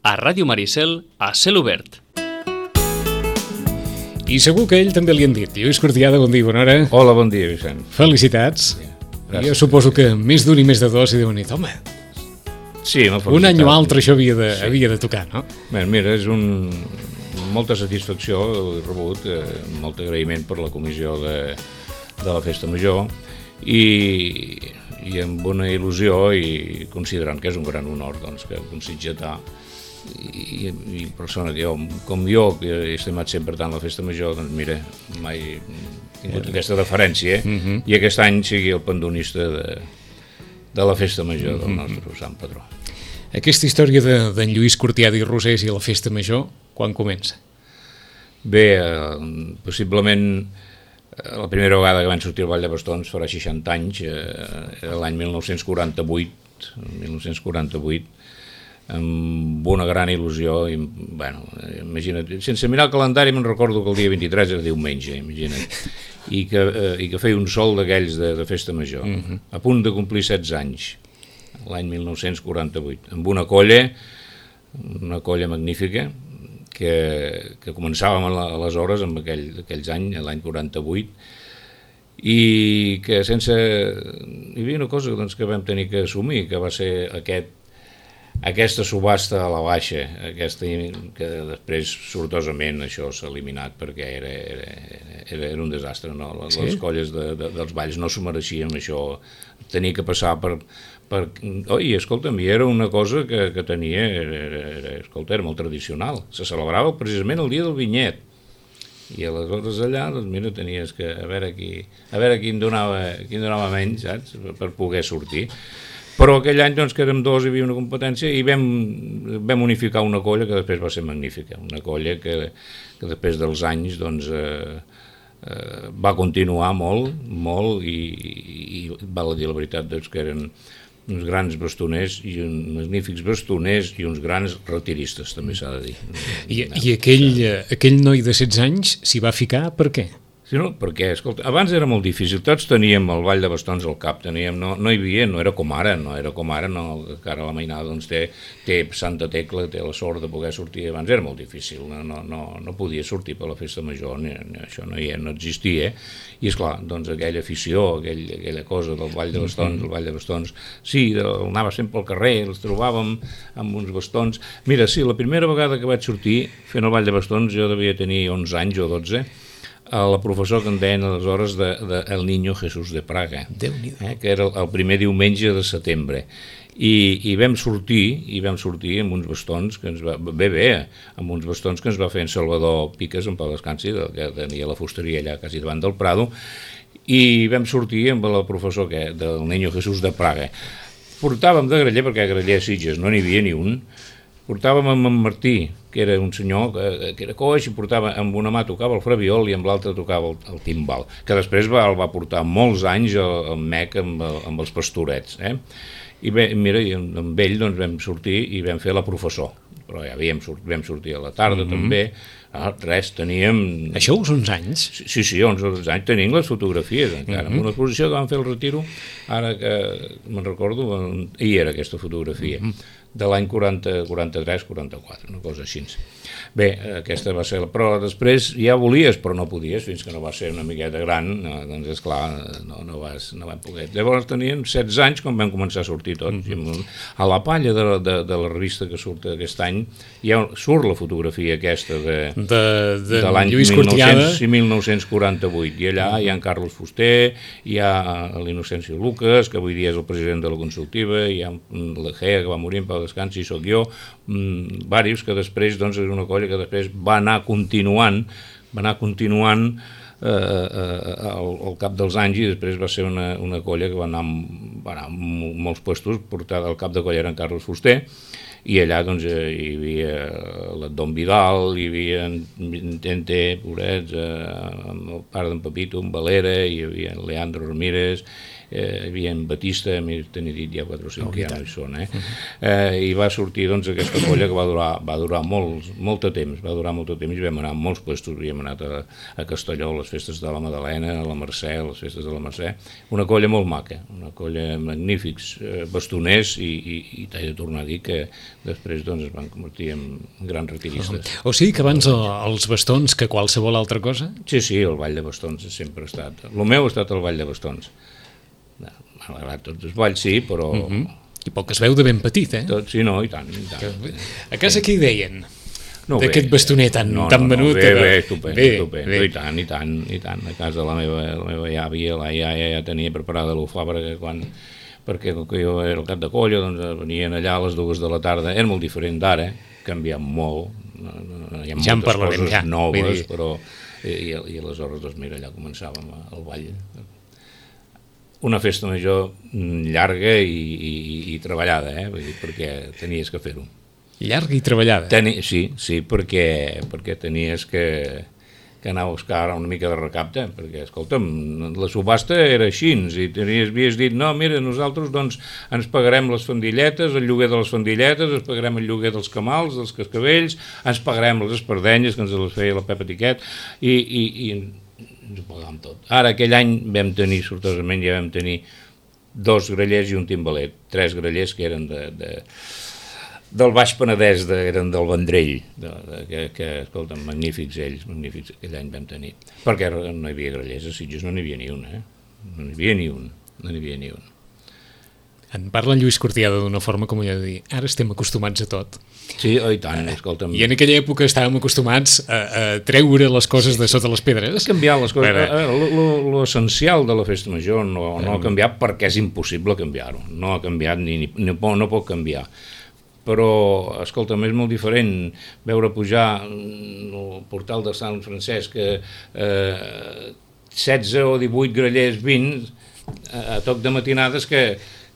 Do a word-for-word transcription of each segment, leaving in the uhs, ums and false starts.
a Ràdio Maricel, a cel obert. I segur que a ell també li han dit. Lluís Cortiada, bon dia, bona hora. Hola, bon dia, Vicent. Felicitats. Gràcies. Jo suposo que més d'un i més de dos i deuen dir, home, sí, un any o altre això havia de, sí. havia de tocar, no? Bé, mira, és un... molta satisfacció, he rebut, eh, molt agraïment per la comissió de, de la Festa Major i, i amb una il·lusió i considerant que és un gran honor doncs, que un sitgetà i, i persona que jo, com jo, que he estimat sempre tant la Festa Major, doncs mira, mai he tingut aquesta referència, eh? uh-huh. I aquest any sigui el pandonista de, de la Festa Major del nostre Sant Patró. Aquesta història d'en de, Lluís Cortiada i Rosés i la Festa Major, quan comença? Bé, eh, possiblement eh, la primera vegada que van sortir al Vall de Bastons farà seixanta anys, eh, era l'any mil nou-cents quaranta-vuit, mil nou-cents quaranta-vuit, amb una gran il·lusió, i, bueno, imagina't, sense mirar el calendari me'n recordo que el dia vint-i-tres era diumenge, imagina't, i que, eh, i que feia un sol d'aquells de, de Festa Major, uh-huh. a punt de complir setze anys, l'any mil nou-cents quaranta-vuit, amb una colla, una colla magnífica, que, que començàvem aleshores, amb aquell, aquells anys, l'any quaranta-vuit, i que sense... Hi havia una cosa doncs, que vam tenir que assumir, que va ser aquest, aquesta subhasta a la baixa, aquesta, que després sortosament això s'ha eliminat perquè era, era, era, era un desastre, no? Les, sí? les colles de, de, dels balls no s'ho mereixien, això tenia que passar per... per oh, i escolta'm, i era una cosa que, que tenia, era, era, escolta, era molt tradicional, se celebrava precisament el dia del vinyet, i aleshores allà, doncs mira, tenies que a veure qui, a veure qui en donava, qui en donava menys, saps?, per poder sortir. Però aquell any doncs, que érem dos, hi havia una competència i vam, vam unificar una colla que després va ser magnífica, una colla que, que després dels anys doncs, eh, eh, va continuar molt, molt i, i val a dir la veritat doncs, que eren uns grans bastoners i uns magnífics bastoners i uns grans retiristes, també s'ha de dir. I, i aquell, aquell noi de setze anys s'hi va ficar per què? Sí, no, perquè, escolta, abans era molt difícil, tots teníem el Vall de Bastons al cap, teníem, no, no hi havia, no era com ara, no era com ara, no, que ara la mainada doncs, té, té Santa Tecla, té la sort de poder sortir, abans era molt difícil, no, no, no, no podia sortir per la Festa Major, ni, ni, això no, hi, no existia, i esclar, doncs aquella afició, aquell, aquella cosa del Vall de Bastons, el Vall de Bastons, sí, anava sempre al carrer, els trobàvem amb uns bastons, mira, sí, la primera vegada que vaig sortir fent el Vall de Bastons, jo devia tenir onze anys o dotze, a la professor que en deien aleshores de, de El Niño Jesús de Praga, eh, que era el, el primer diumenge de setembre. I, i vam sortir, i vam sortir amb uns bastons que ens va, bé, bé, amb uns bastons que ens va fer en Salvador Piques, en pau descansi, que tenia la fusteria allà quasi davant del Prado, i vam sortir amb la professor que, del Niño Jesús de Praga. Portàvem de graller, perquè a graller a Sitges no n'hi havia ni un, portàvem amb en Martí, que era un senyor que, que era coix, i portava, amb una mà tocava el frabiol i amb l'altra tocava el, el timbal, que després va, el va portar molts anys al, al M E C amb, amb els pastorets. Eh? I bé, mira, i amb ell doncs, vam sortir i vam fer la professor, però ja havíem sort, vam sortir a la tarda mm-hmm. també, ah, res, teníem... Això uns onze anys? Sí, sí, onze anys, tenim les fotografies encara, mm-hmm. amb una exposició que vam fer el retiro, ara que me'n recordo, hi era aquesta fotografia. Mm-hmm. de l'any quaranta, quaranta-tres quaranta-quatre, una cosa així. Bé, aquesta va ser la... Però després ja volies, però no podies, fins que no va ser una miqueta gran, no, doncs esclar, no, no, vas, no vam poder. Llavors teníem setze anys quan vam començar a sortir tots. Mm-hmm. A la palla de, de, de la revista que surt aquest any, ja surt la fotografia aquesta de, de, de, de l'any Lluís Cortiada i mil nou-cents quaranta-vuit, i allà hi ha en Carlos Fuster, hi ha l'Innocencio Lucas, que avui dia és el president de la Consultiva, hi ha l'Egea, que va morir en pau descansi, i soc jo, mmm, varis que després, doncs, és una colla que després va anar continuant, va anar continuant eh, eh, al, al cap dels anys, i després va ser una, una colla que va anar, va anar a molts puestos, portada al cap de colla era en Carlos Fuster, i allà doncs hi havia l'Adon Vidal, hi havia en Tente, pobrets, eh, el pare d'en Pepito, en Valera, hi havia en Leandro Ramírez, eh, hi havia en Batista, m'he tenia dit ja quatre o cinc, oh, que ja no hi són, eh? eh? I va sortir doncs aquesta colla que va durar, va durar molt, molt de temps, va durar molt de temps, i vam anar a molts puestos, havíem anat a, a Castelló, a les festes de la Madalena, a la Mercè, a les festes de la Mercè, una colla molt maca, una colla magnífics eh, bastoners, i, i, i t'he de tornar a dir que després doncs, es van convertir en grans retiristes. O sigui que abans els bastons que qualsevol altra cosa? Sí, sí, el ball de bastons sempre ha estat. El meu ha estat el ball de bastons. M'ha agradat tots els balls, sí, però... Uh-huh. I poc es veu de ben petit, eh? Tot, sí, no, i tant, i tant. A casa què hi deien? No, d'aquest bastoner tan, no, tan no, venut? No, bé, bé, estupendo, bé, estupendo, bé. I tant, i tant, i tant. A casa la meva, la meva àvia, la iaia ja tenia preparada l'ufà perquè quan... perquè com que jo era el cap de colla, doncs venien allà a les dues de la tarda, era molt diferent d'ara, canviat molt, hi ha ja moltes coses ja, noves, però... I, i aleshores, doncs mira, allà començàvem el ball. Una festa major llarga i, i, i treballada, eh? Vull dir, perquè tenies que fer-ho. Llarga i treballada? Teni, sí, sí, perquè, perquè tenies que, que anar a buscar una mica de recapte, perquè, escolta'm, la subhasta era així, i tenies, havies dit, no, mira, nosaltres doncs ens pagarem les fandilletes, el lloguer de les fandilletes, ens pagarem el lloguer dels camals, dels cascavells, ens pagarem les espardenyes, que ens les feia la Pepa Tiquet, i, i, i ens ho pagàvem tot. Ara, aquell any vam tenir, sortosament, ja vam tenir dos grallers i un timbalet, tres grallers que eren de... de del Baix Penedès, de, eren del Vendrell, de, de, que, que, escolta, magnífics ells, magnífics, aquell any vam tenir. Perquè no hi havia grallers, a Sitges no n'hi havia ni un, eh? No n'hi havia ni un, no n'hi havia ni un. En parla en Lluís Cortiada d'una forma com allò de dir, ara estem acostumats a tot. Sí, oh, i tant, escolta'm. I en aquella època estàvem acostumats a, a treure les coses de sota les pedres. A canviar les coses. Però... l'essencial de la festa major no, no ha canviat perquè és impossible canviar-ho. No ha canviat ni, ni, ni no pot canviar. Però, escolta'm, és molt diferent veure pujar el portal de Sant Francesc que eh, setze o divuit grallers, vint, a, a toc de matinades que,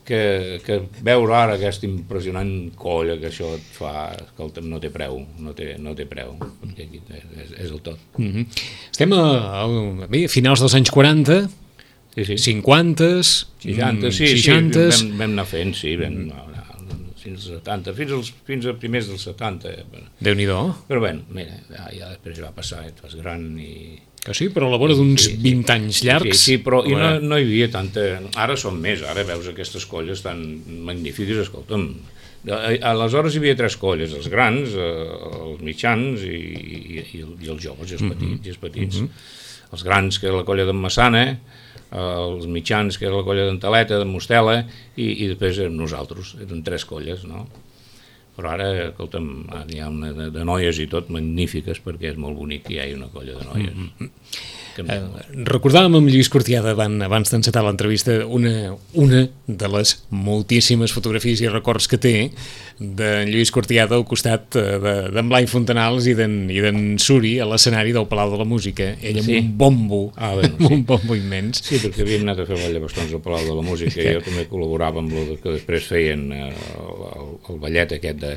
que, que veure ara aquesta impressionant colla que això et fa, escolta'm, no té preu, no té, no té preu, perquè és, és el tot. Mm-hmm. Estem a, a, bé, a finals dels anys quaranta, sí, sí. cinquanta, seixanta, sí, seixanta... sí, vam, vam anar fent, sí, vam anar fins als setanta, fins als, fins a primers dels setanta. Déu-n'hi-do. Però bé, mira, ja, ja després va passar, et fas gran i... Que sí, però a la vora d'uns sí, vint sí. anys llargs... Sí, sí, però i no, no hi havia tanta... Ara són més, ara veus aquestes colles tan magnífiques, escolta'm. Aleshores hi havia tres colles, els grans, els mitjans i, i, i els joves, i els petits. Mm-hmm. I els, petits. Mm-hmm. Els grans, que era la colla d'en Massana, els mitjans, que era la colla d'en Taleta, d'en Mostela, i, i després érem nosaltres, eren tres colles, no? Però ara, escolta'm, hi ha una de, de noies i tot magnífiques, perquè és molt bonic que hi hagi una colla de noies. Mm-hmm. Eh, recordàvem amb Lluís Cortiada abans, abans d'encetar l'entrevista una, una de les moltíssimes fotografies i records que té d'en Lluís Cortiada al costat d'en de, Blai Fontanals i d'en Suri a l'escenari del Palau de la Música, ell amb sí. un bombo, ah, bueno, amb sí. un bombo immens. Sí, perquè havíem anat a fer ball de bastons al Palau de la Música i jo també col·laborava amb el que després feien el, el, el ballet aquest de,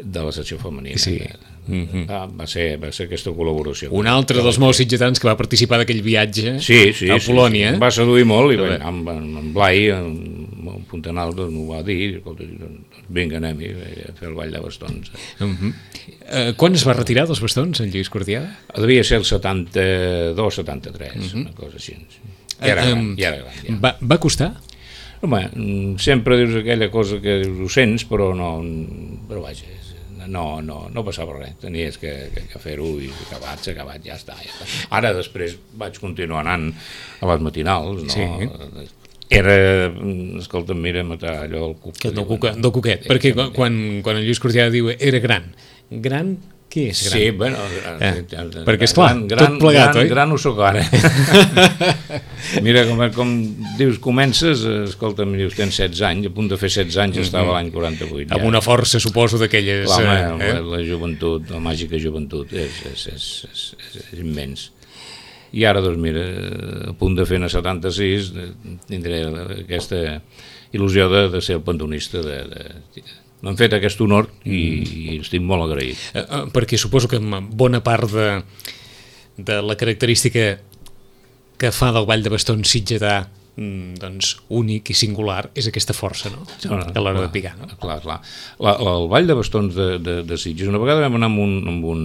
de la secció femenina. Sí. Mm-hmm. ah, va, ser, va ser aquesta col·laboració. Un altre dels molts sitgetans que va participar d'aquell viatge sí, sí, a Polònia. Sí, sí. Va seduir molt i va, amb, amb Blai, amb Fontanal, doncs, m'ho va dir, vinga, anem a fer el ball de bastons. Uh-huh. uh, quan es va retirar dels bastons, en Lluís Cortiada? Devia ser el setanta-dos setanta-tres, uh-huh. una cosa així. Ja era gran, ja era gran. Ja. Va, va costar? Home, sempre dius aquella cosa que ho sents, però no, però vaja, no, no, no passava res, tenies que, que, que fer-ho i acabat, s'ha acabat, ja està, ja està. Ara després vaig continuar anant a les matinals, no? Sí. Era, escolta'm, mira, matar allò del cuc. Del, cuca, del cuquet, perquè quan, quan en Lluís Cortiada diu era gran, gran... Què és gran? Sí, bueno... Eh, perquè, esclar, gran, gran, tot plegat, gran, oi? Gran ho soc ara. Mira, com, com dius, comences, escolta'm, dius, tens setze anys, a punt de fer setze anys, mm-hmm. estava l'any quaranta-vuit. Amb ja. Una força, suposo, d'aquelles... L'home, eh? la, la joventut, la màgica joventut, és, és, és, és, és, és immens. I ara, doncs, mira, a punt de fer a setanta-sis, tindré aquesta il·lusió de, de ser el pantonista de... de m'han fet aquest honor i, i estic molt agraït. Eh, eh, perquè suposo que bona part de, de la característica que fa del ball de bastons sitgetà doncs, únic i singular és aquesta força, no? A l'hora de picar, no? Clar, clar. La, la, el Ball de Bastons de, de, de Sitges, una vegada vam anar amb un... Amb un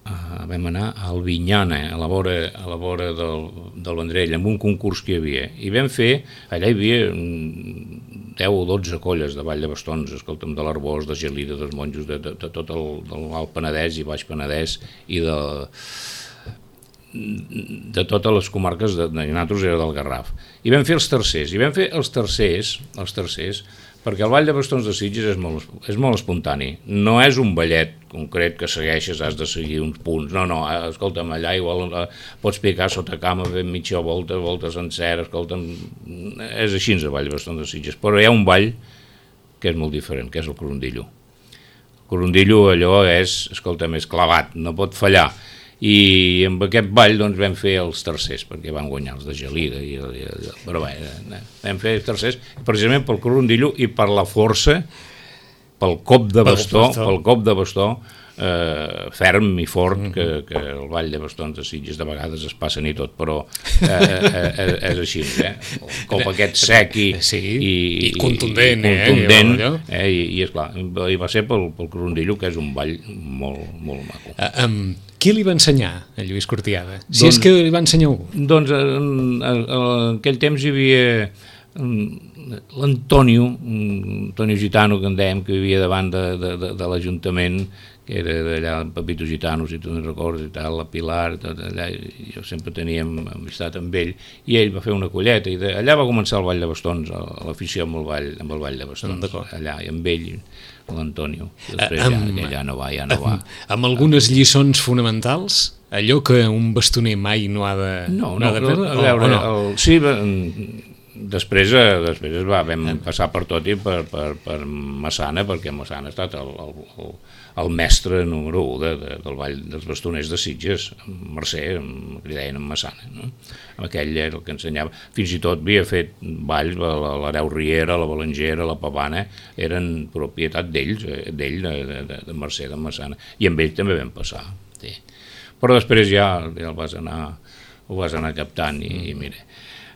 uh, vam anar a Albinyana, a la vora, a la vora del, del Vendrell, amb un concurs que hi havia. I vam fer, allà hi havia deu o dotze colles de Ball de Bastons, escolta'm, de l'Arbós, de Gelida, dels monjos, de, de, de tot el, del Alt Penedès i Baix Penedès i de... de totes les comarques de, de nosaltres era del Garraf, i vam fer els tercers i vam fer els tercers els tercers perquè el Ball de Bastons de Sitges és molt, és molt espontani, no és un ballet concret que segueixes, has de seguir uns punts, no, no, escolta'm, allà igual eh, pots picar sota cama fent mitja volta, volta sencera, escolta'm, és així el Ball de Bastons de Sitges, però hi ha un ball que és molt diferent, que és el corondillo. El corondillo allò és, escolta'm, és clavat, no pot fallar. I amb aquest ball doncs, vam fer els tercers, perquè van guanyar els de Gelida, i, i, però bé, vam fer els tercers precisament pel corondillo i per la força, pel cop de bastó, pel cop de bastó eh, ferm i fort que, que el Ball de Bastons de Sitges de vegades es passen i tot, però eh, eh, és així, eh? El cop aquest sec i, sí, i, i contundent, i, i, contundent eh? eh? I, i esclar, i va ser pel, pel corondillo, que és un ball molt, molt maco. Uh, um, qui li va ensenyar a Lluís Cortiada? Si doncs, és que li va ensenyar algú. Doncs en, en, en aquell temps hi havia l'Antonio, Antonio Gitano, que en dèiem, que vivia davant de, de, de, de l'Ajuntament, que era d'allà, en Pepito Gitano, si tu no recordes, i tal, la Pilar, tot allà, jo sempre teníem amistat amb ell, i ell va fer una colleta, i de, allà va començar el Ball de Bastons, l'afició amb el Ball, amb el Ball de Bastons, allà, i amb ell, l'Antonio, després ja, amb, ja no va, ja no va. Amb, amb algunes lliçons fonamentals, allò que un bastoner mai no ha de, no, no, no, ha de perdre, a veure, o, o no? el, sí, després, després va, vam passar per tot i per, per, per Massana, perquè Massana ha estat el, el, el mestre número u de, de, del Ball dels Bastoners de Sitges, Mercè, li deien en Massana, no? Aquell era el que ensenyava, fins i tot havia fet balls, l'Hereu Riera, la Balangera, la Pavana, eren propietat d'ells, d'ell, de, de, de Mercè, de Massana, i amb ell també vam passar, sí. Però després ja, ja el vas anar, ho vas anar captant i, i mira,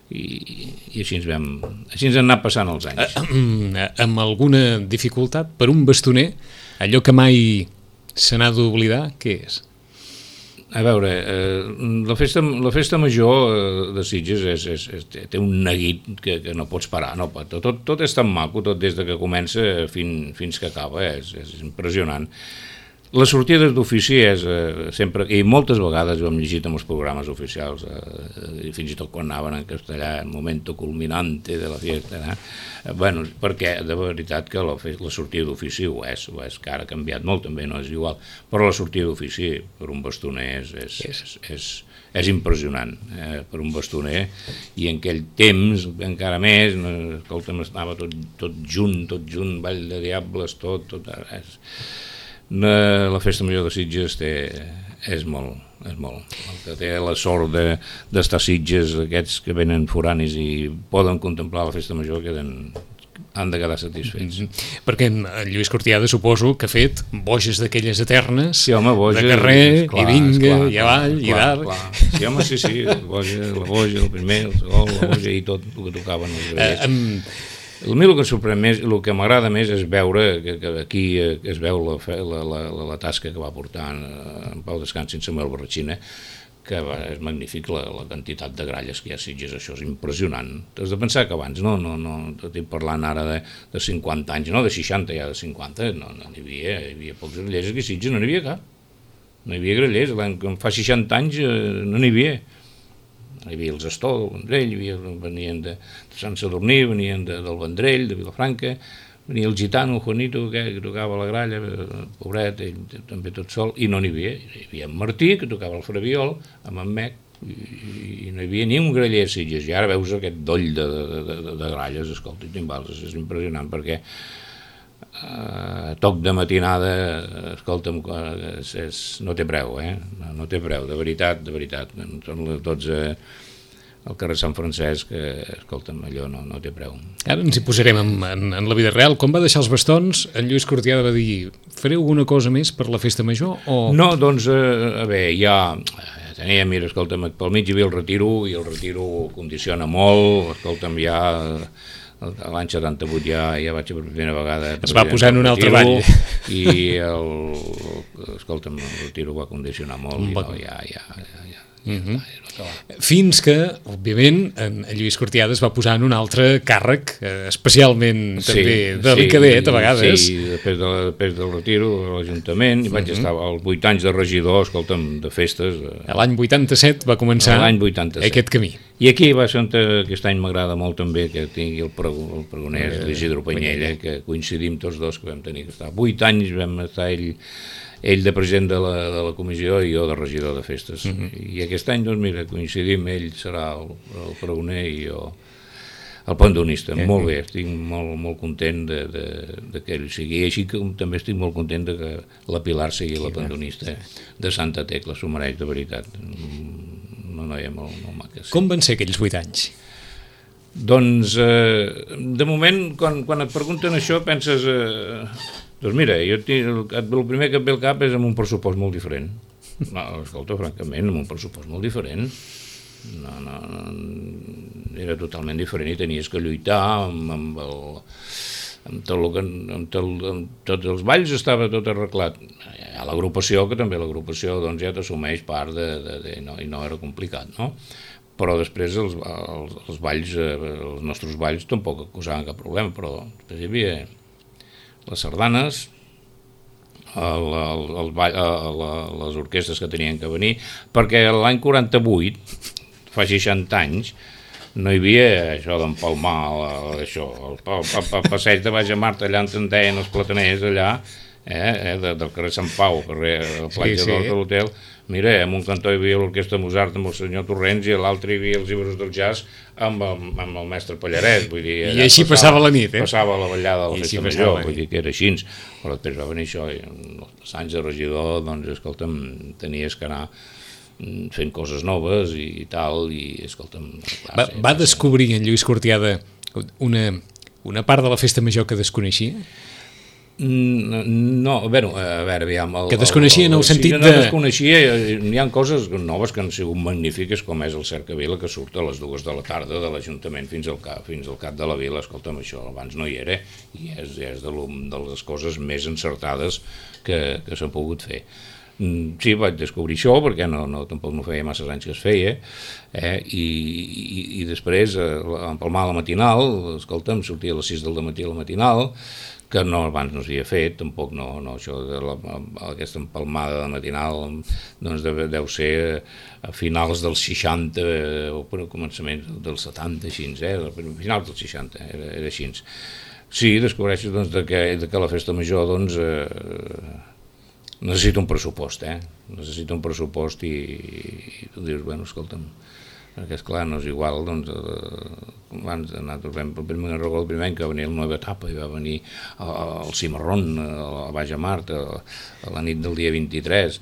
i, i així ens vam, així ens han anat passant els anys. Uh, amb alguna dificultat per un bastoner, allò que mai se n'ha d'oblidar, què és? A veure, eh, la, festa, la festa major de Sitges és, és, és, té un neguit que, que no pots parar, no, tot, tot és tan maco, tot des de que comença fin, fins que acaba, és, és impressionant. Les sortides d'ofici és eh, sempre, i moltes vegades ho hem llegit en els programes oficials, eh, fins i tot quan anaven en castellà, el momento culminante de la fiesta, eh? Bueno, perquè de veritat que la, la sortida d'ofici ho és, ho és, que ara ha canviat molt també, no és igual, però la sortida d'ofici per un bastoner és, és, és, és, és impressionant, eh, per un bastoner, i en aquell temps encara més, no, escolta'm, estava tot, tot junt, tot junt, Ball de Diables, tot, tot, és... La festa major de Sitges té, és molt, és molt. El que té la sort de, d'estar a Sitges, aquests que venen foranis i poden contemplar la festa major, queden, han de quedar satisfets. Mm-hmm. Perquè en Lluís Cortiada suposo que ha fet boges d'aquelles eternes, sí, home, boges, de carrer, clar, i vinga, clar, i avall, clar, i d'art. Clar. Sí, home, sí, sí, la boja, la boja, el primer, el segon, la boja i tot el que tocaven els grellers. Uh, um, A mi el que sorprèn més, el que m'agrada més és veure que, que aquí es veu la, la, la, la tasca que va portar en, en Pau Descansi, en Samuel Barratxina, que va, és magnífic la, la quantitat de gralles que hi ha a Sitges, això és impressionant. T'has de pensar que abans, no, no, no, t'estic parlant ara de, de cinquanta anys, no, de seixanta ja, de cinquanta, no, no n'hi havia, hi havia pocs grellers, aquí a Sitges no n'hi havia cap, no hi havia grellers, l'any que fa seixanta anys no n'hi havia. Hi havia els Astor del Vendrell, hi havia, venien de, de Sant Sadurní, venien de, del Vendrell, de Vilafranca, venia el gitano, el Juanito, que, que tocava la gralla, pobret, ell també tot sol, i no n'hi havia. Hi havia en Martí, que tocava el freviol, amb en Mec, i, i no hi havia ni un graller a Sitges, i ara veus aquest doll de, de, de, de gralles, escolta, i timbals, és impressionant, perquè Uh, toc de matinada, escolta'm, és, és, no té preu, eh? No, no té preu, de veritat, de veritat. Són les dotze al carrer Sant Francesc, que, escolta'm, allò no, no té preu. Ara ens hi posarem en, en, en la vida real. Quan va deixar els bastons, en Lluís Cortiada va dir, fareu alguna cosa més per la festa major? O... No, doncs, eh, a veure, hi ha... tenia, mira, escolta'm, pel mig hi havia el retiro, i el retiro condiciona molt, escolta'm, ja... L'any setanta-vuit ja, ja vaig per primera vegada... Es va posar en un altre ball. I el... Escolta'm, el retiro va condicionar molt, i no, ja, ja, ja, ja. Uh-huh. Fins que, òbviament, en Lluís Cortiada es va posar en un altre càrrec, eh, especialment sí, també delicadet, sí, a vegades. Sí, després, de, després del retiro a l'Ajuntament, i vaig uh-huh. estar als vuit anys de regidor, escolta'm, de festes. A l'any vuitanta-set va començar aquest camí. I aquí va ser on aquest any m'agrada molt també que tingui el, prego, el pregoner eh, l'Isidro Panyella, que coincidim tots dos que vam tenir que estar. Vuit anys vam estar ell... ell de president de la, de la comissió i jo de regidor de festes. Uh-huh. I aquest any, doncs mira, coincidim, ell serà el, el pregoner i jo el pandonista. Uh-huh. Molt bé, estic molt, molt content de, de, de que ell sigui, així que també estic molt content de que la Pilar sigui sí, la pandonista de Santa Tecla, s'ho mereix de veritat. Una noia molt, molt maca. Sí. Com van ser aquells vuit anys? Doncs, eh, de moment, quan, quan et pregunten això, penses... Eh, Doncs mira, jo tinc, el primer que et ve al cap és amb un pressupost molt diferent. No, escolta, francament, amb un pressupost molt diferent. No, no, no, era totalment diferent i tenies que lluitar amb, amb, el, amb, tot el, amb, tot, amb tots els balls estava tot arreglat. Hi ha l'agrupació, que també l'agrupació doncs, ja t'assumeix part de, de, de no, i no era complicat, no? Però després els, els, els balls, els nostres balls tampoc causaven cap problema, però després hi havia... les sardanes, el, el, el ball, el, les orquestres que tenien que venir, perquè l'any quaranta-vuit, fa seixanta anys, no hi havia això d'empalmar, això, el, el, el, el passeig de Baix a Marta, allà on en deien els plataners, allà, eh, de, del carrer Sant Pau, carrer la platja sí, sí. de l'hotel, mira, en un cantó hi havia l'orquestra Mozart amb el senyor Torrents i a l'altre hi havia els llibres del jazz amb el, amb el mestre Pallaret. Vull dir, I així passava, passava la nit, eh? Passava la ballada de la festa major, vull dir que era així. Però després va venir això, i els anys de regidor, doncs, escolta'm, tenies que anar fent coses noves i, i tal, i escolta'm... Clar, va, va descobrir en Lluís Cortiada una, una part de la festa major que desconeixia? No, a veure, a veure, aviam... El, que desconeixia en el, el sentit de... No desconeixia, hi ha coses noves que han sigut magnífiques, com és el Cercavila, que surt a les dues de la tarda de l'Ajuntament fins al cap, fins al cap de la vila. Escolta'm, això abans no hi era, i és, és de, de les coses més encertades que, que s'han pogut fer. Sí, vaig descobrir això, perquè no, no, tampoc no feia massa anys que es feia, eh? I, i, i després, eh, empalmar la matinal, escolta'm, sortia a les sis del matí a la matinal, que no, abans no s'havia fet, tampoc no, no això de la, aquesta empalmada de matinal doncs deu, deu ser a finals dels seixanta o per començament dels setanta, així, eh? A finals dels seixanta, era, era així. Sí, descobreixes doncs, de que, de que la festa major doncs, eh, necessita un pressupost, eh? Necessita un pressupost i, i tu dius, bueno, escolta'm, perquè esclar, no és igual, doncs, eh, abans nosaltres vam, el primer, el primer any que va venir la nova etapa i va venir el Cimarrón a Baix a Mart a, a la nit del dia vint-i-tres,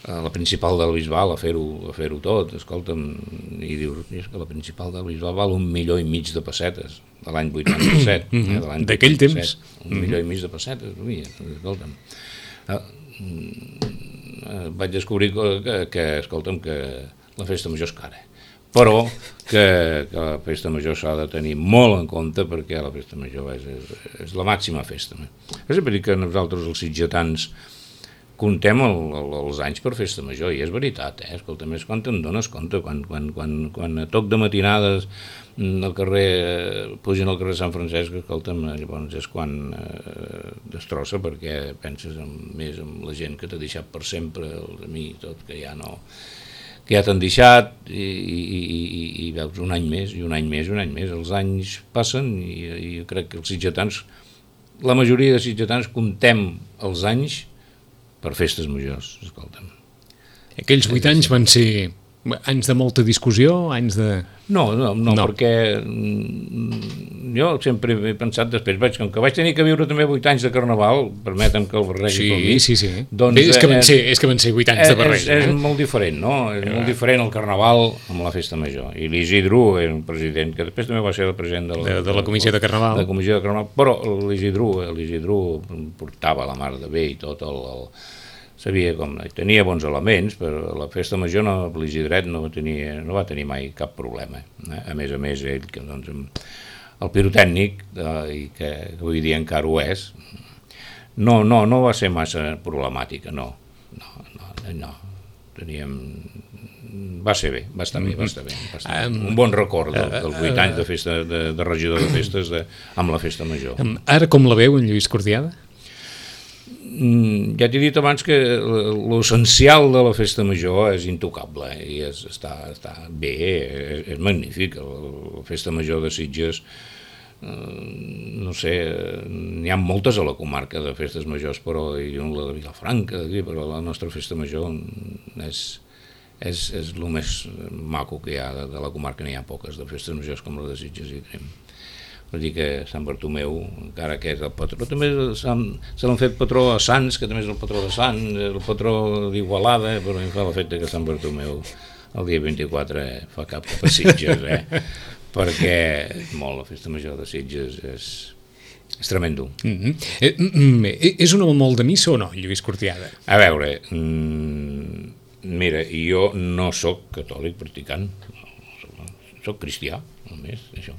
a la principal del Bisbal a fer-ho a fer-ho tot, escolta'm, i dius, és que la principal del Bisbal val un milió i mig de pessetes, de l'any vuitanta-set, eh, de l'any d'aquell temps, un milió i mig de pessetes, ui, escolta'm, eh, vaig descobrir que, que, escolta'm, que la festa major és cara, però que, que la festa major s'ha de tenir molt en compte perquè la festa major és, és, és la màxima festa. És a dir que nosaltres els sitgetans contem el, el, els anys per festa major i és veritat, eh? Escolta, més quan te'n dones compte, quan, quan, quan, quan a toc de matinades al carrer, pugen al carrer Sant Francesc, escolta'm, llavors és quan eh, destrossa perquè penses en, més en la gent que t'ha deixat per sempre, els amics, tot, que ja no... que ja t'han deixat i, i, i, i veus un any més, i un any més, i un any més. Els anys passen i, i jo crec que els sitgetans, la majoria de sitgetans, comptem els anys per festes majors, escolta'm. Aquells vuit anys van ser anys de molta discussió, anys de... No, no, no, no. Perquè jo sempre he pensat després, vaig, com que vaig tenir que viure també vuit anys de Carnaval, permetem que el barregi sí, com mi. Sí, sí, doncs, Bé, és, que van ser, és que van ser vuit anys és, de barregi. És, és eh? molt diferent, no? És eh. molt diferent el Carnaval amb la festa major. I l'Isidro era un president, que després també va ser el president de la, de, de la Comissió de Carnaval. De la Comissió de Carnaval, però l'Isidro, l'Isidro portava la mar de bé i tot el... el sabia com, tenia bons elements, però la festa major no, l'Isidret no, tenia, no va tenir mai cap problema. Eh? A més a més, ell, que, doncs, el pirotècnic, eh, i que, que avui dia encara ho és, no, no, no va ser massa problemàtica, no. No, no, no. Teníem... Va ser bé, va estar bé, va estar bé. Va estar bé. Un bon record del, dels vuit anys de, festa, de, de regidor de festes de, amb la festa major. Ara com la veu, en Lluís Cortiada? Ja t'he dit abans que l'essencial de la festa major és intocable i és, està, està bé, és, és magnífic. La festa major de Sitges, no sé, n'hi ha moltes a la comarca de festes majors, però hi ha la de Vilafranca, però la nostra festa major és... És, és el més maco que hi ha de, de la comarca, n'hi ha poques de festes majors com la de Sitges i tenim. Vull dir que Sant Bartomeu, encara que és el patró, també se l'han fet patró a Sants, que també és el patró de Sants, el patró d'Igualada, però em fa l'efecte que Sant Bartomeu el dia vint-i-quatre fa cap cap a Sitges, eh? Perquè molt, la festa major de Sitges és, és tremendo. Mm-hmm. eh, mm, és un home molt de missa o no, Lluís Cortiada? A veure... Mm, mira, jo no sóc catòlic practicant, sóc cristià, només, això.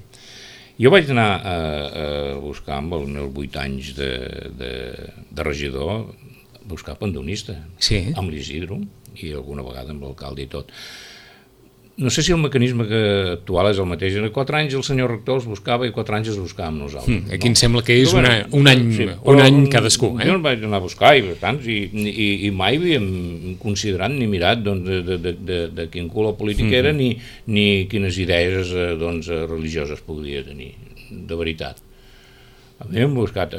Jo vaig anar a, a buscar amb els meus vuit anys de, de, de regidor, buscar pandonista, sí. Amb l'Isidro, i alguna vegada amb l'alcalde i tot. No sé si el mecanisme que actual és el mateix. En quatre anys el senyor rector els buscava i quatre anys els buscàvem nosaltres. Mm, aquí no? Em sembla que és una, un any, sí, un any cadascú. Eh? Jo el vaig anar a buscar i, tants, i, i, i mai havíem considerat ni mirat doncs, de, de, de, de, de quin color polític era mm. ni, ni quines idees doncs, religioses podria tenir, de veritat. A mi hem buscat,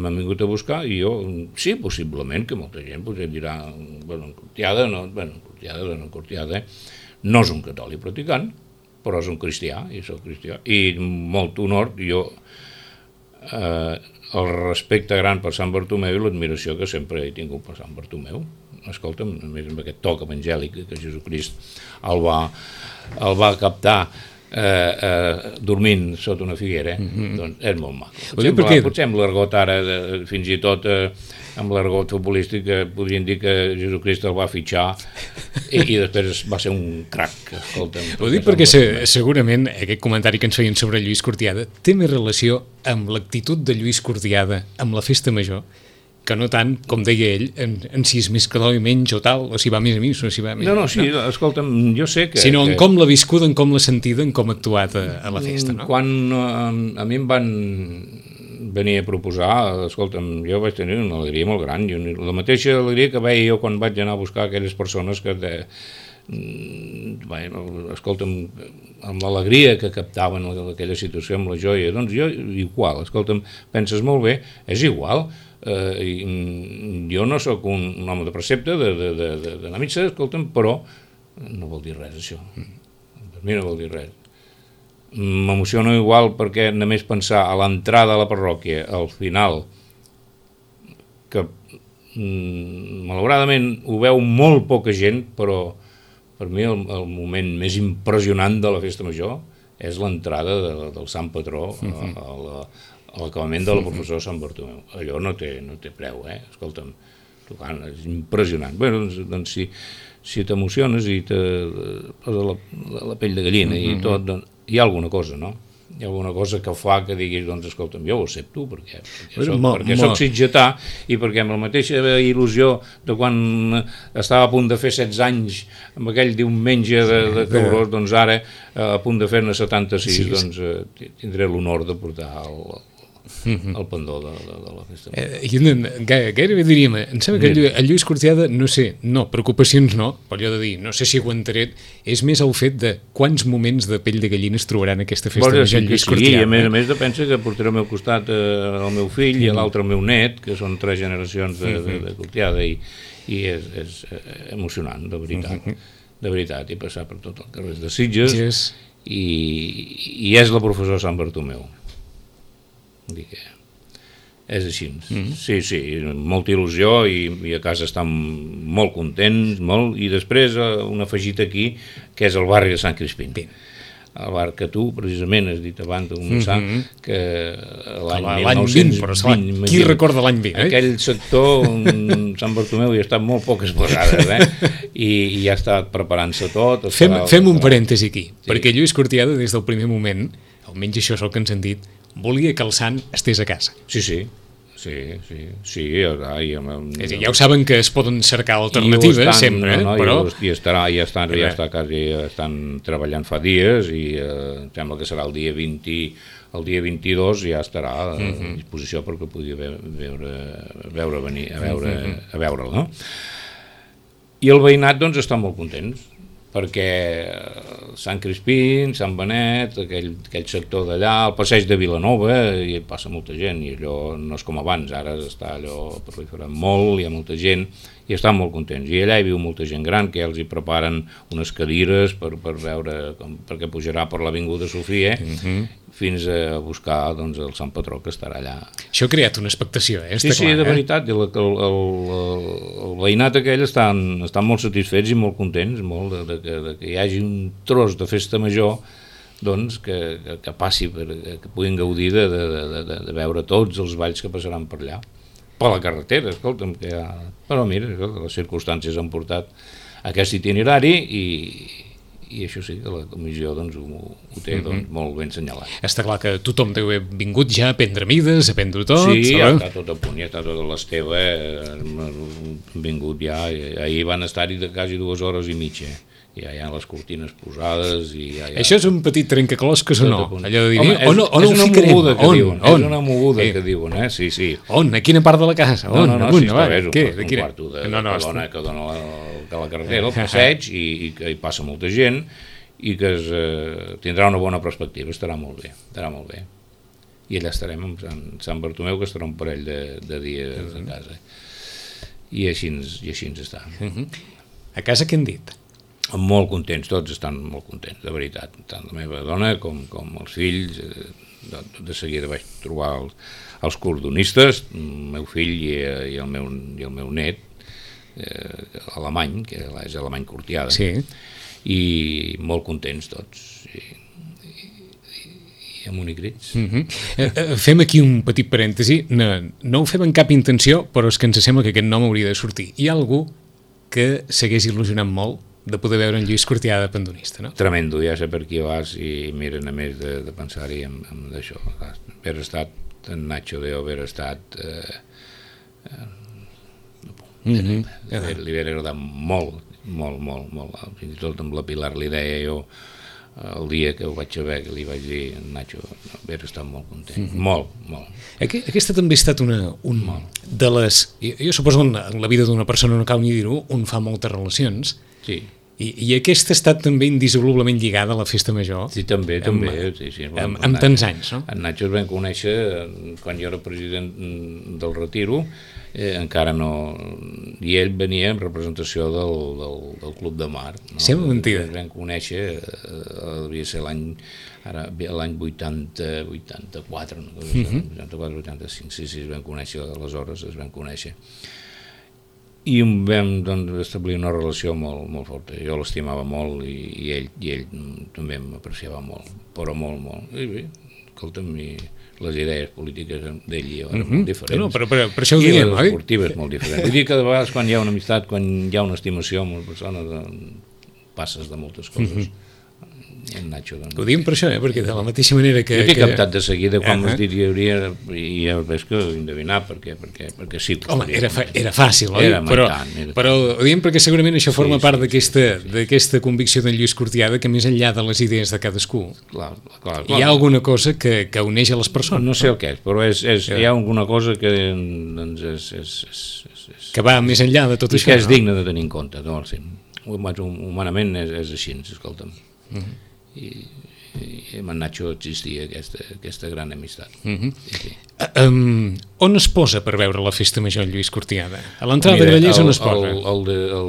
m'han vingut a buscar i jo, sí, possiblement, que molta gent potser dirà, bueno, Cortiada, no, bueno, Cortiada, no, Cortiada, no és un catòlic practicant, però és un cristià, i soc cristià, i molt honor, jo, eh, el respecte gran per Sant Bartomeu i l'admiració que sempre he tingut per Sant Bartomeu. Escolta'm, a més amb aquest toc evangèlic que Jesucrist el va, el va captar eh, eh, dormint sota una figuera, mm-hmm. doncs és molt maco. Potser, perquè... potser amb l'argot ara, de, fins i tot eh, amb l'argot futbolístic, eh, podrien dir que Jesucrist el va fitxar i, i després va ser un crac. Escolta'm, ho dic perquè se, segurament aquest comentari que ens feien sobre Lluís Cortiada té més relació amb l'actitud de Lluís Cortiada amb la festa major que no tant, com deia ell, en, en si és més catòlic menys o tal, o si va més a mi, o si va més... No, no, sí, no. Escolta'm, jo sé que... Sinó en que... com l'ha viscuda, en com l'ha sentida, en com ha actuat a, a la festa, no? Quan a, a mi em van venir a proposar, escolta'm, jo vaig tenir una alegria molt gran, i la mateixa alegria que veia jo quan vaig anar a buscar aquelles persones que... De, bé, escolta'm, amb l'alegria que captaven aquella situació, amb la joia, doncs jo igual, escolta'm, penses molt bé, és igual. Uh, jo no sóc un, un home de precepte de, de, de, de, de la missa, escolta'm, però no vol dir res això, per mi no vol dir res. M'emociona igual perquè només pensar a l'entrada a la parròquia, al final, que mm, malauradament ho veu molt poca gent, però per mi el, el moment més impressionant de la festa major és l'entrada de, del Sant Patró a, a la a l'acabament de la professora Sant Bartomeu. Allò no té, no té preu, eh? Escolta'm, tocant, és impressionant. Bé, doncs, doncs si, si t'emociones i te posa la, la, la pell de gallina mm-hmm. i tot, doncs hi ha alguna cosa, no? Hi ha alguna cosa que fa que diguis, doncs, escolta'm, jo ho accepto, perquè, perquè, soc, mo, perquè mo. soc sitgetà i perquè amb la mateixa il·lusió de quan estava a punt de fer setze anys amb aquell diumenge de, de Cabrós, doncs ara, a punt de fer-ne setanta-sis, sí, doncs eh, tindré l'honor de portar el, el pendó de, de, de la festa. Eh, gairebé diríem, em sembla que el Lluís Cortiada, no sé, no, preocupacions no, però allò de dir, no sé si aguantaré, és més el fet de quants moments de pell de gallina es trobaran aquesta festa major de Lluís sí, Cortiada. I a més a més de pensa que portaré al meu costat eh, el meu fill mm. i l'altre el meu net, que són tres generacions de, de, de Cortiada, i, i és, és emocionant, de veritat, mm-hmm. de veritat, i passar per tot el carrer de Sitges, yes. i, i és la professora Sant Bartomeu. Que és així, mm-hmm. sí, sí, molta il·lusió i, i a casa estan molt contents, molt, i després un afegit aquí, que és el barri de Sant Crispín. al bar que tu, precisament, has dit abans, un mm -hmm. que l'any mil nou-cents vint, qui recorda l'any vint? Eh? Aquell sector, Sant Bartomeu, hi ha estat molt poques vegades, eh? I, i ja està preparant-se tot. Fem, estarà, fem un parèntesi aquí, sí. perquè Lluís Cortiada, des del primer moment, almenys això és el que ens han dit, volia que el sant estés a casa. Sí, sí. Sí, sí, sí, ja, ja, ja, ja ho saben que es poden cercar alternatives estan, sempre, no, no, però... I, estarà, ja, estan, ja, està quasi, estan treballant fa dies i eh, em sembla que serà el dia vint, el dia vint-i-dos ja estarà a uh-huh. disposició perquè pugui veure, veure venir, a veure, uh-huh. a veure'l, no? I el veïnat, doncs, està molt contents, perquè Sant Crispí, Sant Benet, aquell, aquell sector d'allà, el passeig de Vilanova, hi passa molta gent, i allò no és com abans, ara està allò proliferant molt, hi ha molta gent, i estan molt contents. I allà hi viu molta gent gran, que ja els hi preparen unes cadires per, per veure, com, perquè pujarà per l'Avinguda Sofia, uh-huh. fins a buscar doncs, el Sant Patró, que estarà allà. Això ha creat una expectació, eh? Sí, Està sí, clar, de eh? veritat, el, el, el, el veïnat aquell estan, estan molt satisfets i molt contents, molt de, de, de, de que hi hagi un tros de festa major, doncs, que, que, que passi, per, que puguin gaudir de, de, de, de, de veure tots els balls que passaran per allà. Per la carretera, escolta'm, que ja... Però mira, les circumstàncies han portat aquest itinerari i, i això sí, que la comissió doncs, ho, ho té doncs, molt ben senyalat. Està clar que tothom deu haver vingut ja a prendre mides, a prendre tot. Sí, ja està tot a punt, ja està tot a l'Esteve, han vingut ja, ahir van estar-hi de quasi dues hores i mitja. Ja hi ha les cortines posades i ja, ja... Això és un petit trencaclosques o no? Allò de dir, home, és, on, on és ho una ficarem? moguda que on, diuen, on? és una moguda eh. que diuen, eh? Sí, sí. On? A quina part de la casa? On? No, no, no, Amunt, sí, va, és un, què? un Quina? quarto de, no, no, que dona, que dona la, la carretera, el passeig, i, i que hi passa molta gent, i que es, eh, tindrà una bona perspectiva, estarà molt bé, estarà molt bé. I allà estarem amb Sant, Sant Bartomeu, que estarà un parell de, de dies uh -huh. a casa. I així, i així ens està. Uh -huh. A casa què han dit? Molt contents, tots estan molt contents, de veritat, tant la meva dona com, com els fills. De, de seguida vaig trobar els, els cordonistes, el meu fill i, i, el, meu, i el meu net, eh, alemany, que és alemany Cortiada, sí. I molt contents tots, i, i, i amb unicrits. Uh -huh. eh, fem aquí un petit parèntesi, no, no ho fem amb cap intenció, però és que ens sembla que aquest nom hauria de sortir. Hi ha algú que s'hagués il·lusionat molt de poder veure en Lluís Cortiada de pandonista, no? Tremendo, ja sé per qui vas i miren a més de, de pensar-hi en, en això. Haver estat en Nacho de haver estat eh, eh, mm -hmm. li, li hauria agradat molt, molt, molt, molt. Fins i tot amb la Pilar li deia jo el dia que ho vaig saber, que li vaig dir en Nacho, haver estat molt content, mm -hmm. molt, molt. Aquesta també ha estat una un, de les... Jo, jo suposo que en la vida d'una persona, no cal ni dir-ho, on fa moltes relacions. Sí. I, i aquesta ha estat també indissolublement lligada a la festa major. Sí, també, amb, també. Sí, sí, amb, amb tants anys, no? En Nacho es vam conèixer quan jo era president del Retiro, eh, encara no... I ell venia en representació del, del, del Club de Mar. No? Sembla mentida. Es vam conèixer, eh, devia ser l'any ara l'any vuitanta, vuitanta-quatre, no? vuitanta-quatre, vuitanta-cinc, sí, sí, es vam conèixer, aleshores es vam conèixer. I vam doncs, establir una relació molt, molt forta. Jo l'estimava molt i, i, ell, i ell també m'apreciava molt, però molt, molt. I bé, escolta'm, i les idees polítiques d'ell i jo eren uh-huh. molt diferents. No, però, però, però això ho diem, oi? I les esportives molt diferents. Vull dir que de vegades quan hi ha una amistat, quan hi ha una estimació amb una persona, passes de moltes coses. Uh-huh. En Nacho, doncs. Ho diem per això, eh? Perquè de la mateixa manera que... Jo t'he que... captat de seguida quan m'has dit que hi hauria, i ja veig que ho endevinar, perquè, perquè, perquè sí. Home, era, fa, era fàcil, oi? Era però, tant, era però ho diem perquè segurament això forma sí, part sí, d'aquesta sí, sí. d'aquesta convicció d'en Lluís Cortiada, que més enllà de les idees de cadascú, clar, clar, clar. hi ha alguna cosa que, que uneix a les persones. No sé el què és, però és, és, hi ha alguna cosa que doncs, és, és, és, és... que va més enllà de tot i això. que és no? digne de tenir en compte. No? Humanament és, és així, escolta'm. Uh -huh. I... i amb en Nacho existia aquesta, aquesta gran amistat. Uh-huh. sí, sí. uh, um, on es posa per veure la festa major Lluís Cortiada? A l'entrada de Grallers on es posa? El, el, el, el,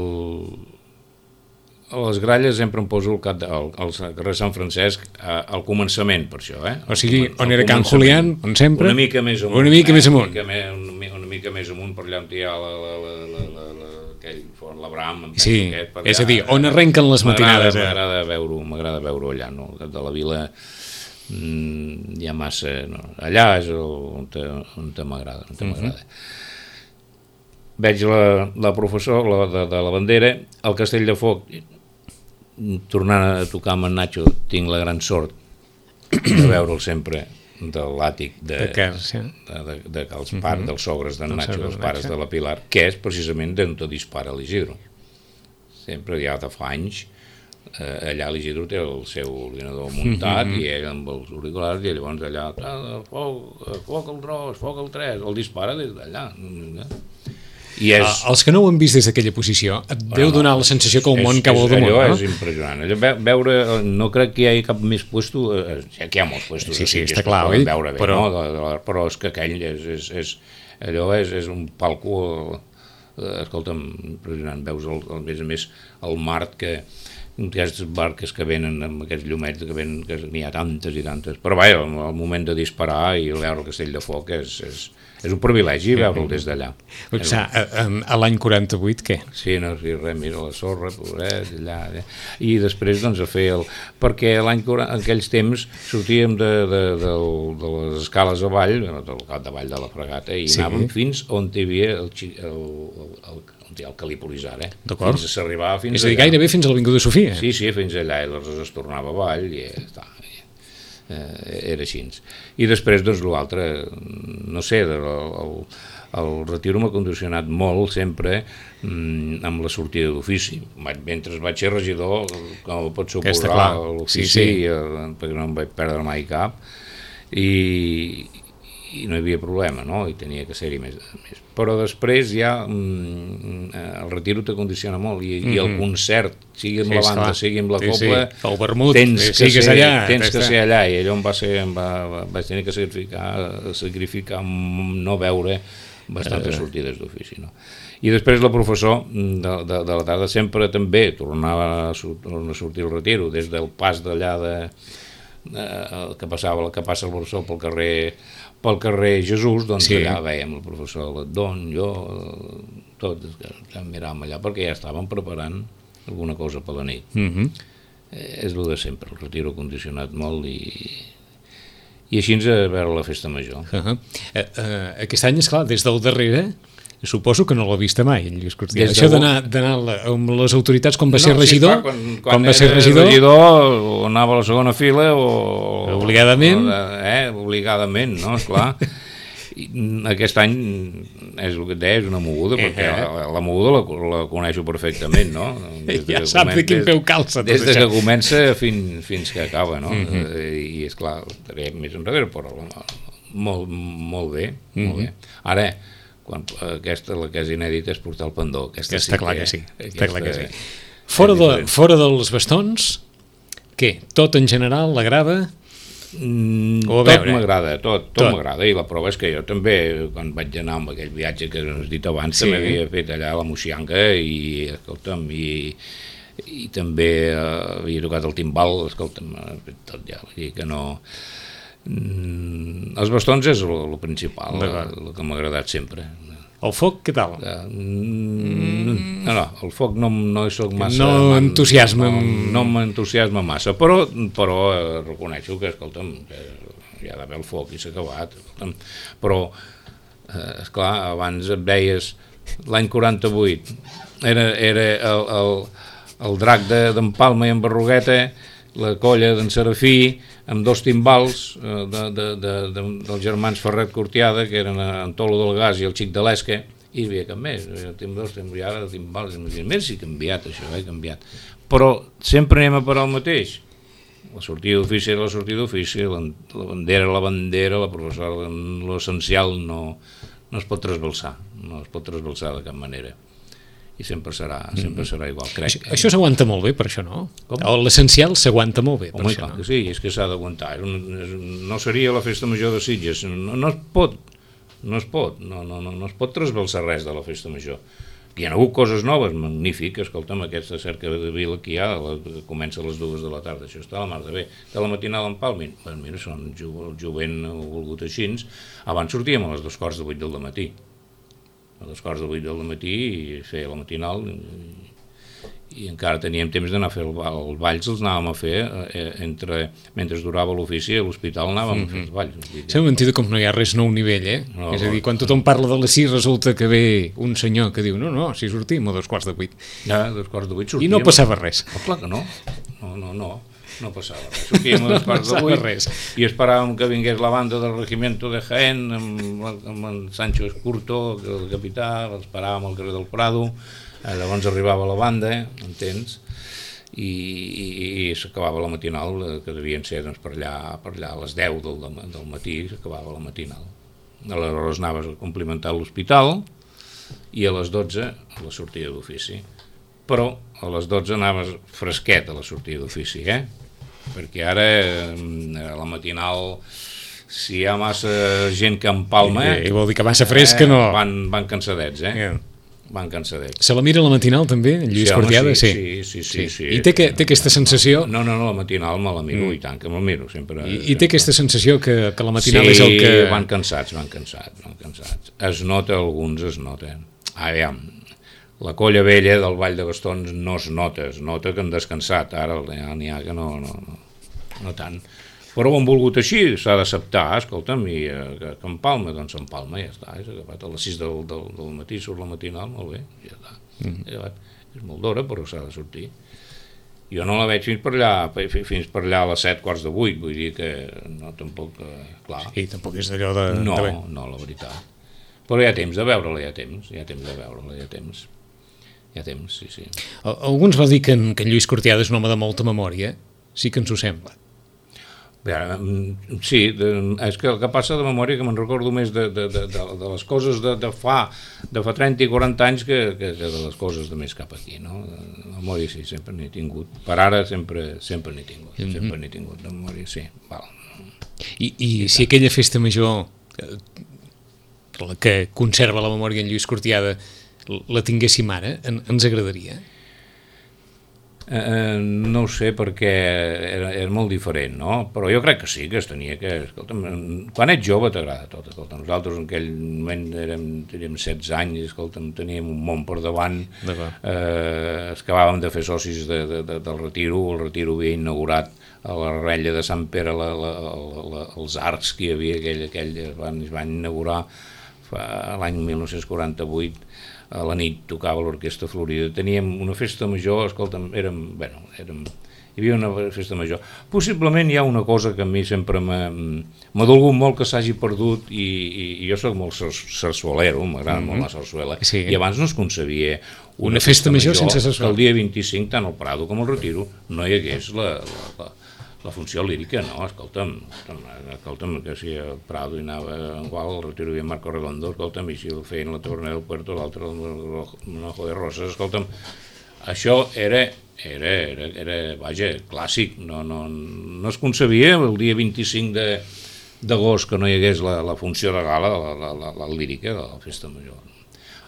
a les Gralles sempre em poso el cap de, al, al carrer Sant Francesc a, al començament, per això. Eh? O sigui, on era Can Julián, on sempre? Una mica més amunt. Una mica eh? més amunt. Una mica, una, una mica més amunt, per allà on hi ha la, la, la, la, la, la aquell Font Labram, em Sí, aquest, per és allà, a dir, on arrenquen les matinades. Eh? M'agrada veure-ho, m'agrada veure-ho allà, no? De la vila mm, hi ha massa... No? Allà és el, on, te, on te m'agrada, on te m'agrada. Uh-huh. Veig la, la professor la, de, de la bandera, al Castell de Foc, tornant a tocar amb en Nacho, tinc la gran sort de veure'l sempre de l'àtic de, de, que, sí. de, de, de, de els pares, uh -huh. dels sogres d'en Nacho, dels pares Nacho. de la Pilar, que és precisament d'on te dispara l'Isidro. Sempre ja de fa anys, eh, allà l'Isidro té el seu ordinador muntat, uh -huh. i ell amb els auriculars, i llavors allà, foc, foc el dos, foc el tres, el dispara des d'allà. I és... Els que no ho han vist des d'aquella posició, et deu no, donar la sensació que el món és, cau al damunt, allò no? és impressionant. Allò, veure, no crec que hi hagi cap més puesto, eh, que hi ha molts puestos, sí, sí, que està clar, oi? Veure bé, però... No? De, de, però és que aquell és, és, és allò és, és un palco, eh, escolta'm, impressionant, veus el, el, a més a més el mar que aquestes barques que venen amb aquests llumets que venen, que n'hi ha tantes i tantes, però vaja, el, el moment de disparar i veure el Castell de Foc és, és, és un privilegi veure'l des d'allà. A, a, a l'any quaranta-vuit què? Sí, no, sí, res, mira la sorra, pobret, allà, allà. I després doncs a fer el... perquè l'any quaranta, en aquells temps sortíem de, de, de, de les escales avall, del cap davall de la fregata, i sí. anàvem fins on hi havia el, el, el, el on hi ha el Calípolis ara, eh? D'acord. Fins a s'arribava fins És a dir, allà. gairebé fins a l'Avinguda Sofia. Sí, sí, fins allà, i aleshores es tornava avall, i està, eh, era així. I després, doncs, l'altre, no sé, el, el, el retiro m'ha condicionat molt, sempre, mm, amb la sortida d'ofici. Mentre vaig ser regidor, com pot suposar, l'ofici, sí, sí. perquè no em vaig perdre mai cap, i... i no hi havia problema, no? I tenia que ser-hi més, més. Però després ja mm, el retiro te condiciona molt i, mm-hmm. i el concert, sigui amb sí, la banda, clar. sigui amb la copla, sí, sí. el vermut, tens, que, que, ser, allà, tens que ser allà, i allò em va ser, em va, va, vaig tenir que sacrificar, sacrificar no veure bastantes uh. sortides d'ofici, no? I després la professor de, de, de la tarda sempre també tornava a, a sortir el retiro, des del pas d'allà de, de, que passava, que passa el Borsó pel carrer pel carrer Jesús, doncs sí. allà veiem el professor Ledon, jo, tots que miràvem allà, perquè ja estàvem preparant alguna cosa per la nit. Mm-hmm. eh, és el de sempre, el retiro condicionat molt i, i així ens a veure la festa major. Uh-huh. eh, eh, aquest any, esclar, des del darrere, suposo que no l'ha vist mai, en Lluís Cortiada. Això d'anar amb les autoritats quan va no, ser regidor, sí, clar, quan, quan quan va ser regidor, regidor, o anava a la segona fila o... Obligadament. O, eh, obligadament, no, esclar. I aquest any, és el que et deia, és una moguda, perquè eh, eh. la, la moguda la, la coneixo perfectament, no? Des ja sap de quin peu calça. Des de que comença fins, fins que acaba, no? Mm-hmm. I esclar, estaré més enrere, però molt, molt bé, mm-hmm. molt bé. Ara, quan aquesta, la que és inèdita, és portar el pendó. Aquesta, aquesta sí clar que, que sí. Aquesta, clar que sí. Fora, de, fora dels bastons, què? Tot en general l'agrada? Mm, tot m'agrada, tot, tot, tot. m'agrada, i la prova és que jo també, quan vaig anar amb aquell viatge que has dit abans, sí. també havia fet allà a la Moixianga i, escolta'm, i, i també eh, havia tocat el timbal, escolta'm, tot ja, vull dir que no... Mm, els bastons és el principal, el que m'ha agradat sempre. El foc, què tal? Mm, no, no, el foc no, no hi soc massa... No entusiasma... No, no m'entusiasma massa, però, però eh, reconeixo que, escolta'm, que hi ha d'haver el foc i s'ha acabat, escolta'm. Però, eh, esclar, abans et deies, l'any quaranta-vuit, era, era el, el, el drac d'en de, Palma i en Berrugueta, la colla d'en Serafí, amb dos timbals eh, de, de, de, de, dels germans Ferret Cortiada, que eren en Tolo del Gas i el Xic de l'Esca, i hi havia cap més, tinc dos timbals, timbals, més si ha canviat això, ha canviat. Però sempre anem a parar el mateix. La sortida d'ofici era la sortida d'ofici, la, la bandera la bandera, la professora, l'essencial no, no es pot trasbalsar, no es pot trasbalsar de cap manera. I sempre serà, sempre serà igual, crec. Això, això s'aguanta molt bé, per això, no? L'essencial s'aguanta molt bé, per Home, això, clar, no? Que sí, és que s'ha d'aguantar. No seria la festa major de Sitges, no, no es pot, no es pot, no, no, no, no es pot trasbalsar res de la festa major. Hi ha hagut coses noves, magnífiques, escolta'm, aquesta cerca de vila que hi ha, la, comença a les dues de la tarda, això està a la mar de bé. De la matinada en Palmin, bueno, mira, són el jovent ho volgut així, abans sortíem a les dos quarts de vuit del matí. a dos quarts de vuit del matí i feia la matinal i, i encara teníem temps d'anar a fer el ball. Els balls els anàvem a fer eh, entre, mentre durava l'ofici a l'hospital anàvem mm-hmm. a fer els balls. S'ha mentida com no hi ha res nou nivell, eh? No, és a dir, quan tothom parla de les sis resulta que ve un senyor que diu no, no, si sortim a dos quarts de vuit. Ja, a dos quarts de vuit sortíem. I no passava res. Oh, clar que no. No, no, no. No passava res. Sortíem a dos quarts de vuit res. I esperàvem que vingués la banda del Regimiento de Jaén amb, amb en Sancho Escurto, el capità, l'esperàvem al carrer del Prado. Eh, llavors arribava la banda, entens? I, i, i s'acabava la matinal, que devien ser doncs, per, allà, per allà a les deu del, del matí, s'acabava la matinal. Aleshores anaves a complimentar l'hospital i a les dotze a la sortida d'ofici. Però a les dotze anaves fresquet a la sortida d'ofici, eh? Perquè ara a la matinal, si hi ha massa gent que empalma... I, i vol dir que massa fresca eh, no... Van, van cansadets, eh? Yeah. Van cansadets. Se la mira a la matinal també, en Lluís sí, Cortiada? Sí, sí, sí, sí, sí. I té, que, té aquesta sensació... No, no, no, la matinal me la miro, mm. i tant que me la miro. Sempre, I, i té aquesta sensació que, que la matinal sí, és el que... Sí, van cansats, van cansats, van cansats. Es nota, alguns es noten. Aviam, la colla vella del Ball de Bastons no es nota, es nota que han descansat, ara n'hi ha que no, no, no, no tant. Però ho han volgut així, s'ha d'acceptar, escolta'm, i eh, que, que empalma, doncs empalma, ja està, és acabat a les sis del, del, del matí, surt la matinal, molt bé, ja està, mm. acabat. És molt d'hora, però s'ha de sortir. Jo no la veig fins per allà, fins per allà a les set quarts de vuit, vull dir que no, tampoc, eh, clar. Sí, tampoc és d'allò de... No, de... no, la veritat. Però hi ha temps de veure-la, hi ha temps, hi ha temps de veure-la, hi ha temps. Hi ha temps, sí, sí. Alguns va dir que en, que en Lluís Cortiada és un home de molta memòria, sí que ens ho sembla. Bé, sí, de, és que el que passa de memòria que me'n recordo més de, de, de, de, de les coses de, de, fa, de fa trenta i quaranta anys que, que de les coses de més cap aquí, no? De memòria sí, sempre n'he tingut. Per ara sempre sempre n'he tingut, mm-hmm. sempre n'he tingut de memòria, sí. Val. I, i si aquella festa major la que conserva la memòria en Lluís Cortiada la tinguéssim ara, en, ens agradaria? Eh, no ho sé perquè era, era molt diferent, no? Però jo crec que sí, que es tenia que... Escolta'm, quan ets jove t'agrada tot, escolta. Nosaltres en aquell moment érem, érem setze anys, escolta'm, teníem un món per davant, eh, acabàvem de fer socis de, de, de, del Retiro, el Retiro havia inaugurat a la Rella de Sant Pere la, la, la, la, els arcs que hi havia, aquell, aquell es, van, es van inaugurar fa, l'any mil nou-cents quaranta-vuit, a la nit tocava l'Orquestra Florida, teníem una festa major, escolta'm, érem, bueno, érem, hi havia una festa major. Possiblement hi ha una cosa que a mi sempre m'ha dolgut molt que s'hagi perdut i, i, i jo soc molt sarsuelero, m'agrada mm-hmm. molt la sarsuela, sí. I abans no es concebia una, una festa, festa major, major sense sarsuela. El dia vint-i-cinc, tant al Prado com al Retiro, no hi hagués la, la, la, la funció lírica, no, escolta'm, escolta'm, que si el Prado hi anava en qual, el Retiro hi havia Marco Redondo, escolta'm, i si el feien la Taverna del Puerto, l'altre el Manojo de Roses, escolta'm, això era, era, era, era vaja, clàssic, no, no, no es concebia el dia vint-i-cinc d'agost que no hi hagués la, la funció de gala, la, la, la, la lírica de la festa major.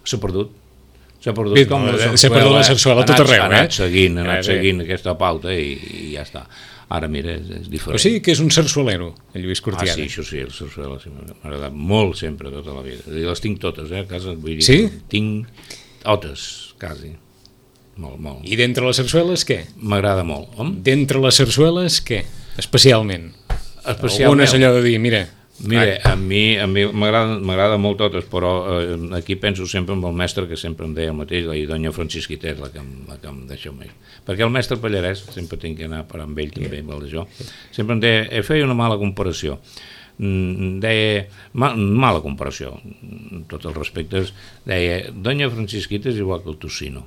S'ha perdut. S'ha perdut Bé, com no, la s'ha perdut la sarsuela a tot arreu, ha anat eh? seguint, ha anat seguint aquesta pauta i, i ja està. Ara, mira, és, és diferent. O sigui que és un sarsuelero, el Lluís Cortiada. Ah, sí, això sí, el sarsuela sí, m'ha agradat molt sempre, tota la vida. I les tinc totes, eh, a casa. Vull dir, sí? Tinc totes, quasi. Molt, molt. I d'entre les sarsueles, què? M'agrada molt. Hom? D'entre les sarsueles, què? Especialment. Especialment. Algunes allò de dir, mira... Mira, a mi a mi m'agrada molt totes, però eh, aquí penso sempre amb el mestre, que sempre em deia el mateix, la Doña Francisquita és la que em, la que em deixa més. Perquè el mestre Pallarès, sempre tinc que anar a parar amb ell també, amb el d'això, sempre em deia, eh, feia una mala comparació. Mm, deia, ma, mala comparació, tots els respectes, deia, Doña Francisquita és igual que el tocino.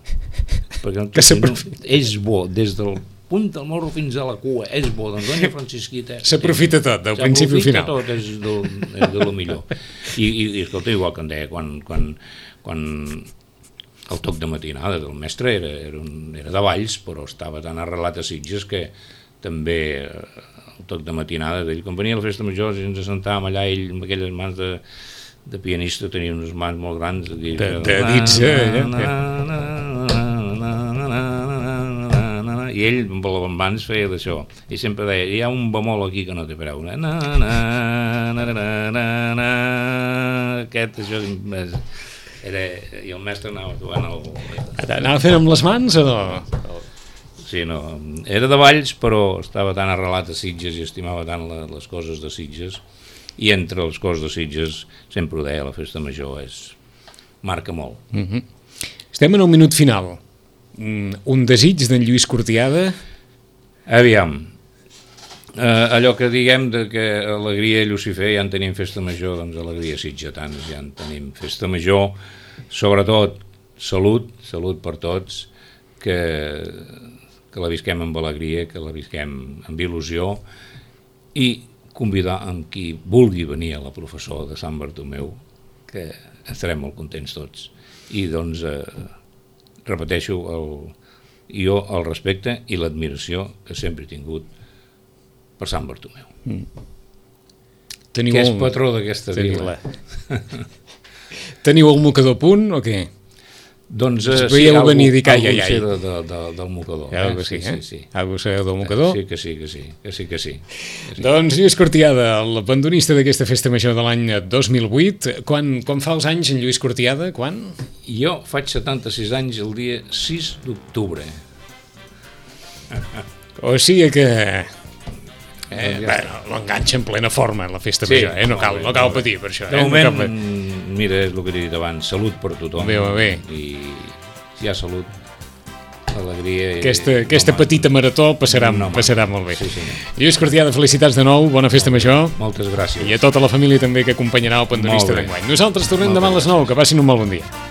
Perquè el tocino és bo des del punt del morro fins a la cua, és bo, doncs Doña Francisquita... S'aprofita tot, del principi al final. S'aprofita tot, és de, és de lo millor. I, i, i escolta, igual que em deia, quan, quan, quan el toc de matinada del mestre era, era, un, era de Valls, però estava tan arrelat a Sitges que també el toc de matinada d'ell, quan venia a la festa major i ens assentàvem allà, ell amb aquelles mans de, de pianista tenia unes mans molt grans de, de, de dits, eh? I ell amb les mans feia d'això i sempre deia, hi ha un bemol aquí que no té preu, na, na, na, na, na, na, na, aquest, això és... Era, I el mestre anava tocant el... Anava fent amb les mans o no? Sí, no, era de Valls, però estava tan arrelat a Sitges i estimava tant la, les coses de Sitges, i entre les coses de Sitges, sempre ho deia, la festa major és... marca molt. Mm-hmm. Estem en un minut final. Un desig d'en Lluís Cortiada? Aviam, eh, allò que diguem de que alegria i Lucifer ja en tenim festa major, doncs alegria sitgetans ja en tenim festa major, sobretot salut, salut per tots, que, que la visquem amb alegria, que la visquem amb il·lusió, i convidar amb qui vulgui venir a la professó de Sant Bartomeu, que estarem molt contents tots. I doncs, eh, repeteixo, el, jo el respecte i l'admiració que sempre he tingut per Sant Bartomeu. Mm. Teniu que és el... patró d'aquesta vila. Teniu el mocador a punt o què? Doncs eh, sí, algú, venir dir, algú ai, ai, ai. de, de, de, del mocador. Ja, eh? Sí, eh? sí, sí. Algú sabeu del mocador? Sí que sí, que sí, que sí, que sí. Que sí. Doncs Lluís Cortiada, l'abandonista d'aquesta festa major de l'any dos mil vuit. Quan, quan fa els anys en Lluís Cortiada? Quan? Jo faig setanta-sis anys el dia sis d'octubre. O sigui que... Eh, bueno, l'enganxa en plena forma la festa sí, major, eh? No cal, no cal patir per això. De eh? moment, no mira, és el que he dit abans, salut per tothom. Bé, bé. I si hi ha salut, alegria... Aquesta, i, aquesta home, petita marató passarà, no, passarà molt bé. Sí, sí. Lluís Cortiada, felicitats de nou, bona festa major. Moltes gràcies. I a tota la família també que acompanyarà el pandonista d'enguany. Nosaltres tornem demà a les nou, que passin un molt bon dia.